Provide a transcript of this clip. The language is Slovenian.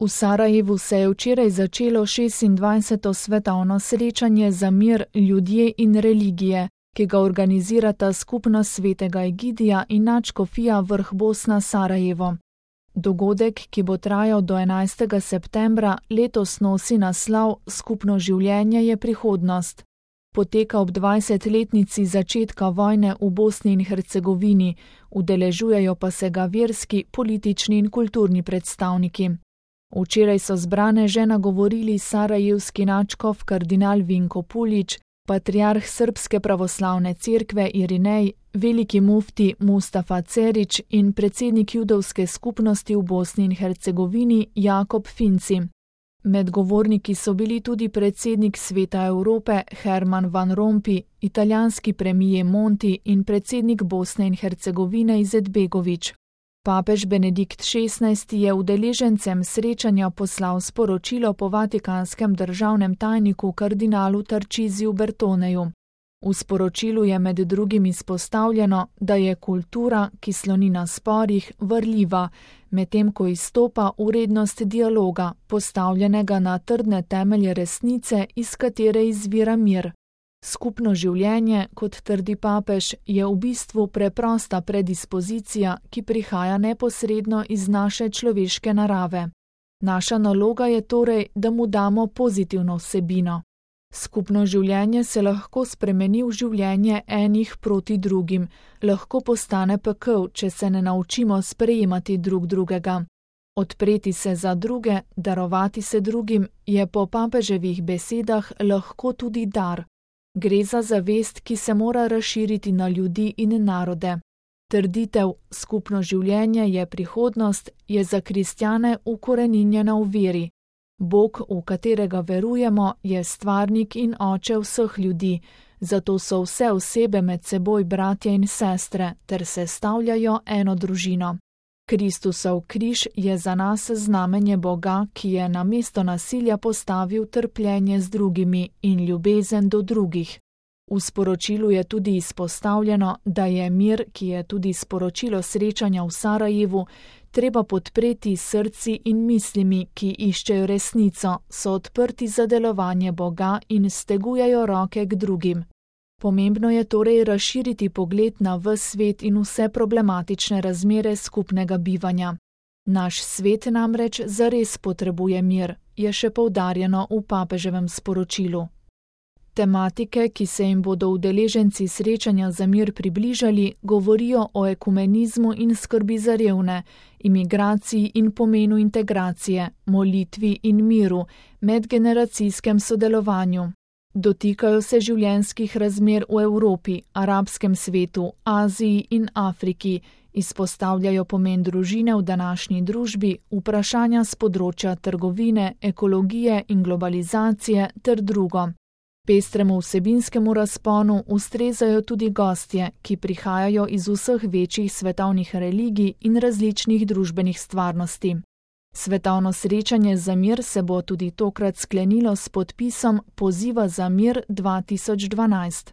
V Sarajevu se je včeraj začelo 26. svetovno srečanje za mir, ljudje in religije, ki ga organizirata Skupnost svetega Egidija in nadškofija Vrh Bosna Sarajevo. Dogodek, ki bo trajal do 11. septembra, letos nosi naslov Skupno življenje je prihodnost. Poteka ob 20-letnici začetka vojne v Bosni in Hercegovini, udeležujejo pa se ga verski, politični in kulturni predstavniki. Včeraj so zbrane že nagovorili sarajevski nadškof kardinal Vinko Pulić, patriarh Srpske pravoslavne cerkve Irinej, veliki mufti Mustafa Cerić in predsednik judovske skupnosti v Bosni in Hercegovini Jakob Finci. Med govorniki so bili tudi predsednik Sveta Evrope Herman Van Rompuy, italijanski premijer Monti in predsednik Bosne in Hercegovine Izetbegović. Papež Benedikt XVI je udeležencem srečanja poslal sporočilo po vatikanskem državnem tajniku kardinalu Tarcisiju Bertoneju. V sporočilu je med drugim izpostavljeno, da je kultura, ki sloni na sporih, varljiva, medtem ko izstopa vrednost dialoga, postavljenega na trdne temelje resnice, iz katere izvira mir. Skupno življenje, kot trdi papež, je v bistvu preprosta predispozicija, ki prihaja neposredno iz naše človeške narave. Naša naloga je torej, da mu damo pozitivno vsebino. Skupno življenje se lahko spremeni v življenje enih proti drugim, lahko postane pekel, če se ne naučimo sprejemati drug drugega. Odpreti se za druge, darovati se drugim, je po papeževih besedah lahko tudi dar. Gre za zavest, ki se mora razširiti na ljudi in narode. Trditev skupno življenje je prihodnost je za kristjane ukoreninjena v veri. Bog, v katerega verujemo, je stvarnik in oče vseh ljudi, zato so vse osebe med seboj bratje in sestre ter sestavljajo eno družino. Kristusov križ je za nas znamenje Boga, ki je namesto nasilja postavil trpljenje z drugimi in ljubezen do drugih. V sporočilu je tudi izpostavljeno, da je mir, ki je tudi sporočilo srečanja v Sarajevu, treba podpreti srci in mislimi, ki iščejo resnico, so odprti za delovanje Boga in stegujejo roke k drugim. Pomembno je torej razširiti pogled na ves svet in vse problematične razmere skupnega bivanja. Naš svet namreč zares potrebuje mir, je še poudarjeno v papeževem sporočilu. Tematike, ki se jim bodo udeleženci srečanja za mir približali, govorijo o ekumenizmu in skrbi za revne, imigraciji in pomenu integracije, molitvi in miru, medgeneracijskem sodelovanju. Dotikajo se življenjskih razmer v Evropi, arabskem svetu, Aziji in Afriki, izpostavljajo pomen družine v današnji družbi, vprašanja s področja trgovine, ekologije in globalizacije ter drugo. Pestremu vsebinskemu razponu ustrezajo tudi gostje, ki prihajajo iz vseh večjih svetovnih religij in različnih družbenih stvarnosti. Svetovno srečanje za mir se bo tudi tokrat sklenilo s podpisom Poziva za mir 2012.